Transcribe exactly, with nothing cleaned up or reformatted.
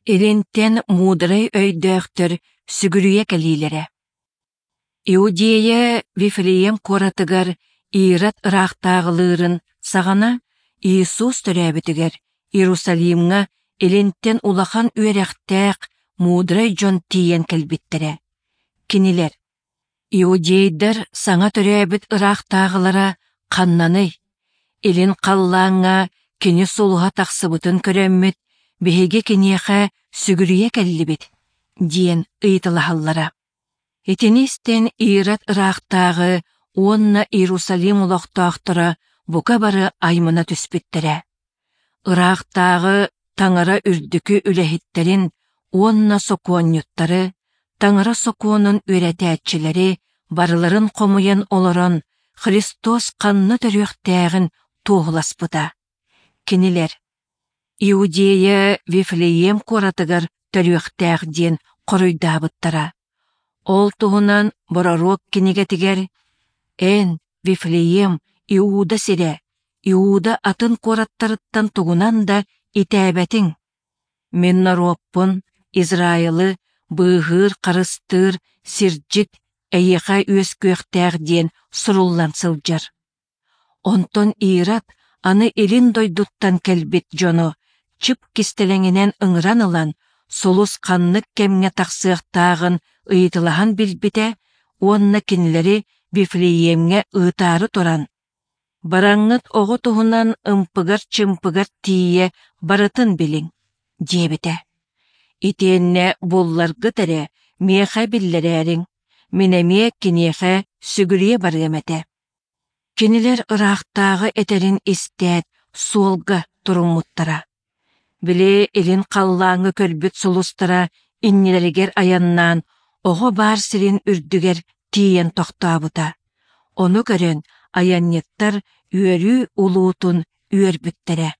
Илинтэн муударай өйдөөхтөр сүгүрүйэ кэлиилэрэ. Иудея Вифлеем куоратыгар Ирод ыраахтааҕылыырын саҕана Иисус төрөөбүтүгэр Иерусалимҥа илинтэн улахан үөрэхтээх муударай дьон тиийэн кэлбиттэрэ. Кинилэр: «Иудейдар саҥа төрөөбүт ыраахтааҕылара ханнаный? Илин халлааҥҥа кини сулуһа тахсыбытын көрөммүт, биһиги киниэхэ сүгүрүйэ кэллибит», диэн ыйыталаһаллара. Итини истэн Ирод ыраахтааҕы уонна Иерусалим олохтоохторо бука бары аймана түспүттэрэ. Ыраахтааҕы Таҥара үрдүкү үлэһиттэрин уонна сокуонньуттары, Таҥара сокуонун үөрэтээччилэри барыларын хомуйан олорон Христос ханна төрүөхтээҕин туоһуласпыта. Кинилэр: «Иудея Вифлеем куоратыгар төрүөхтээх» диэн хоруйдаабыттара. Ол туһунан бороруок кинигэтигэр: «Эн, Вифлеем, Иуда сирэ, Иуда атын куораттарыттан тугунан да итээбэтиҥ. Мин норуоппун, Израилы, быыһыыр-харыстыыр сирдьит эйиэхэ үөскүөхтээх» диэн суруллан сылдьар. Онтон Ирод аны илин дойдуттан кэлбит дьону чып кистэлэҥинэн ыҥыран ылан, сулус ханнык кэмҥэ тахсыахтааҕын ыйыталаһан билбитэ уонна кинилэри Вифлеемҥэ ыытаары туран: «Бараҥҥыт оҕо туһунан ымпыгар-чымпыгар тиийэ барытын билиҥ», диэбитэ. Итиэннэ булларгыт эрэ миэхэ биллэрээриҥ, мин эмиэ киниэхэ сүгүрүйэ барыам этэ. Кинилэр ыраахтааҕы этэрин истээт суолга туруммуттара. Били илин халлааҥҥа көрбүт сулустара иннилэригэр айаннаан оҕо баар сирин үрдүгэр тиийэн тохтообута. Ону көрөн айанньыттар үөрүү улуутун үөрбүттэрэ.